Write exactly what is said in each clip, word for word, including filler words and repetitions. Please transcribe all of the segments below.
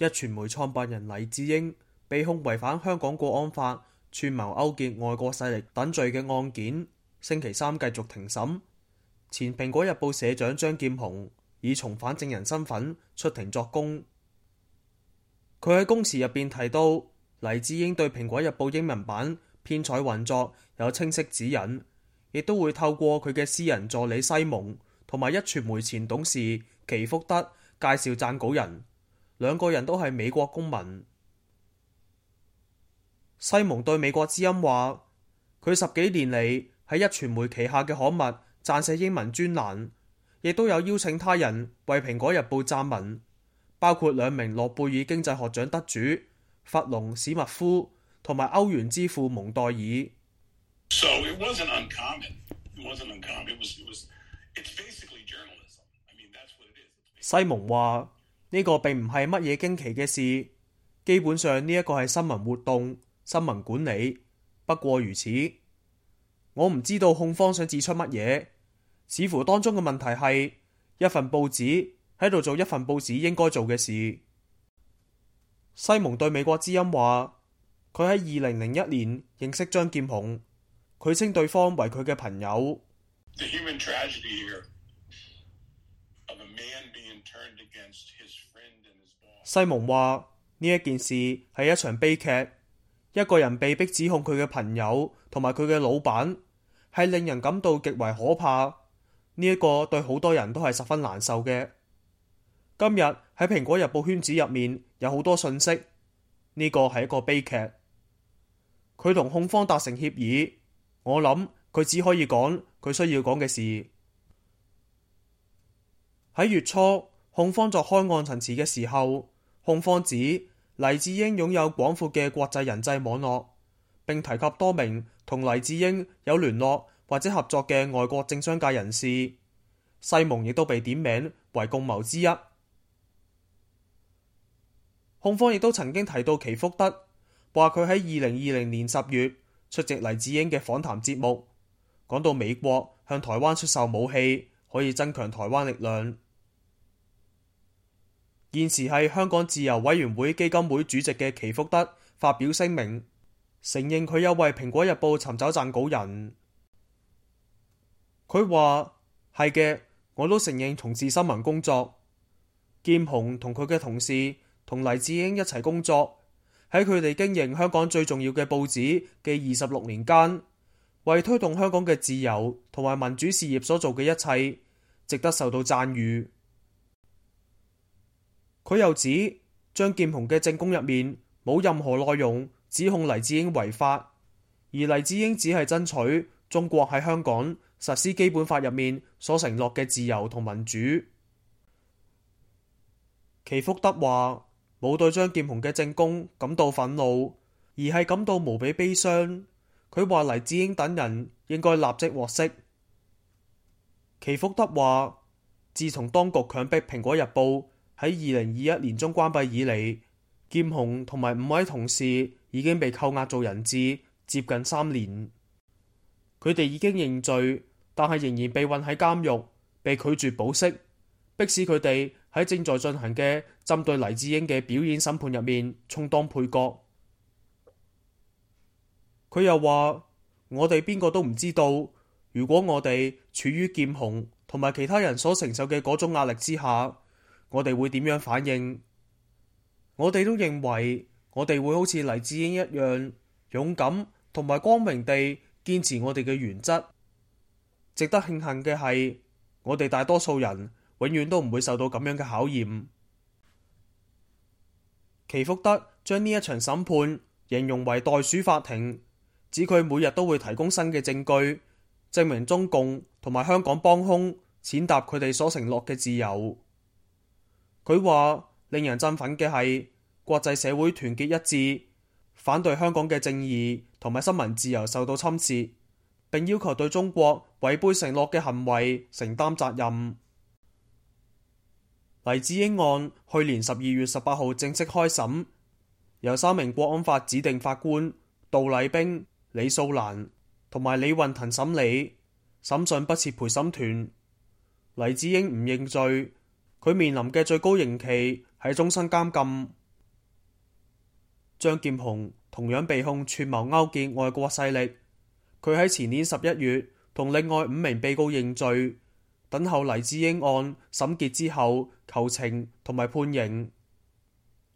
壹傳媒創辦人黎智英被控違反香港國安法、串謀勾結外國勢力等罪嘅案件，星期三繼續庭審。前蘋果日報社長張劍虹以從犯證人身份出庭作供。佢喺供詞入邊提到，黎智英對蘋果日報英文版編採運作有清晰指引，亦都會透過佢嘅私人助理西蒙同埋壹傳媒前董事祈福德介紹撰稿人，兩個人都係美國公民。西蒙對美國之音話，佢十幾年嚟喺壹傳媒旗下嘅刊物撰寫英文專欄，亦都有邀請他人為蘋果日報撰文，包括兩名諾貝爾經濟學獎得主弗隆史密夫同埋歐元之父蒙代爾。So it wasn't uncommon. It wasn't uncommon. It was, it was, it's basically journalism. I mean, that's what it is. 西蒙話呢個並唔係乜嘢驚奇嘅事，基本上呢一個係新聞活動、新聞管理，不過如此。我唔知道控方想指出乜嘢，似乎當中嘅問題係一份報紙喺度做一份報紙應該做嘅事。西蒙對美國之音話，佢喺二零零一年認識張劍虹，佢稱對方為佢嘅朋友。The human tragedy here of a man being turned against his friend and his boss. 西蒙話呢一件事係一場悲劇，一個人被逼指控佢嘅朋友同埋佢嘅老闆，係令人感到極為可怕。呢一個對好多人都係十分難受嘅。今日喺蘋果日報圈子入面有好多信息，呢個係一個悲劇。佢同控方達成協議，我諗佢只可以講佢需要講嘅事。喺月初，控方作開案陳詞嘅時候，控方指黎智英擁有廣闊嘅國際人際網絡，並提及多名同黎智英有聯絡或者合作嘅外國政商界人士。西蒙亦都被點名為共謀之一。控方亦都曾經提到祈福德，話佢喺二零二零年十月出席黎智英嘅訪談節目，講到美國向台灣出售武器可以增強台灣力量。現時係香港自由委員會基金會主席嘅祈福德發表聲明，承認佢有為蘋果日報尋找撰稿人。佢話係嘅，我都承認從事新聞工作。劍虹同佢嘅同事同黎智英一齊工作，喺佢哋經營香港最重要嘅報紙嘅二十六年間，為推動香港嘅自由同埋民主事業所做嘅一切，值得受到讚譽。佢又指張劍虹嘅證供入面冇任何內容指控黎智英違法，而黎智英只係爭取中國喺香港實施基本法入面所承諾嘅自由同民主。祈福德話冇對張劍虹嘅證供感到憤怒，而係感到無比悲傷。佢話黎智英等人應該立即獲釋。祈福德話，自從當局強迫蘋果日報喺二零二一年中關閉以嚟，劍虹同埋五位同事已經被扣押做人質接近三年。佢哋已經認罪，但係仍然被困喺監獄，被拒絕保釋，迫使佢哋喺正在進行嘅針對黎智英嘅表演審判入面充當配角。佢又話：我哋邊個都唔知道，如果我哋處於劍虹同埋其他人所承受嘅嗰種壓力之下，我哋會點樣反應？我哋都認為我哋會好似黎智英一樣勇敢同埋光榮地堅持我哋嘅原則。值得慶幸嘅係，我哋大多數人永遠都唔會受到咁樣嘅考驗。祈福德將呢一場審判形容為袋鼠法庭，指佢每日都會提供新嘅證據，證明中共同埋香港幫兇踐踏佢哋所承諾嘅自由。佢話令人振奮嘅係國際社會團結一致，反對香港嘅正義同埋新聞自由受到侵蝕，並要求對中國違背承諾嘅行為承擔責任。黎智英案去年十二月十八號正式開審，由三名國安法指定法官杜麗冰、李素蘭同埋李運騰審理，審訊不設陪審團。黎智英唔認罪，佢面臨嘅最高刑期係終身監禁。張劍虹同樣被控串謀勾結外國勢力。佢喺前年十一月同另外五名被告認罪，等候黎智英案審結之後求情同埋判刑。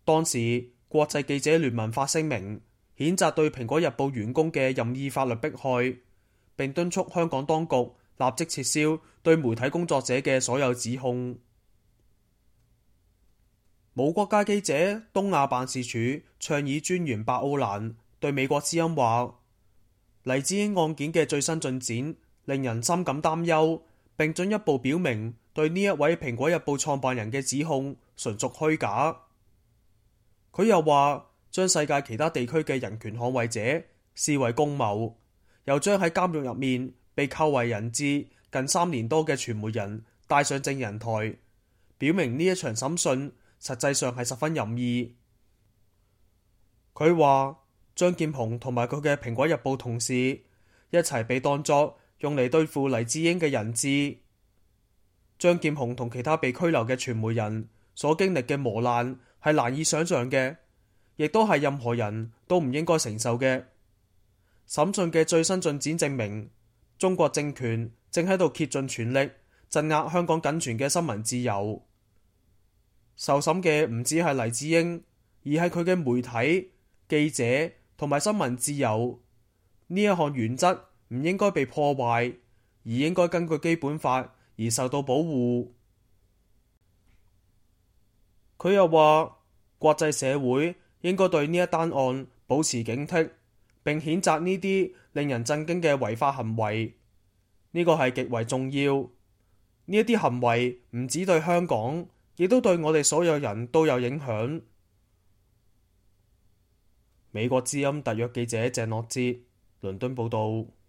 當時國際記者聯盟發聲明，譴責對蘋果日報員工嘅任意法律迫害，並敦促香港當局立即撤銷對媒體工作者嘅所有指控。無國界記者東亞辦事處倡議專員白奧蘭對美國之音話，黎智英案件嘅最新進展令人深感擔憂，並進一步表明對呢一位蘋果日報創辦人嘅指控純屬虛假。佢又話將世界其他地區嘅人權捍衛者視為共謀，又將喺監獄入面被扣為人質近三年多嘅傳媒人帶上證人台，表明呢一場審訊實際上係十分任意。佢話張劍虹同埋佢嘅蘋果日報同事一齊被當作用嚟對付黎智英嘅人質。張劍虹同其他被拘留嘅傳媒人所經歷嘅磨難係難以想象嘅，亦都係任何人都唔應該承受嘅。審訊嘅最新進展證明，中國政權正喺度竭盡全力鎮壓香港僅存嘅新聞自由。受審嘅唔止係黎智英，而係佢嘅媒體、記者同埋新聞自由。呢一項原則唔應該被破壞，而應該根據基本法而受到保護。佢又話，國際社會應該對呢一單案保持警惕，並譴責呢啲令人震驚嘅違法行為。呢個係極為重要。呢一啲行為唔止對香港，亦都對我哋所有人都有影響。美國之音特約記者鄭樂哲，倫敦報道。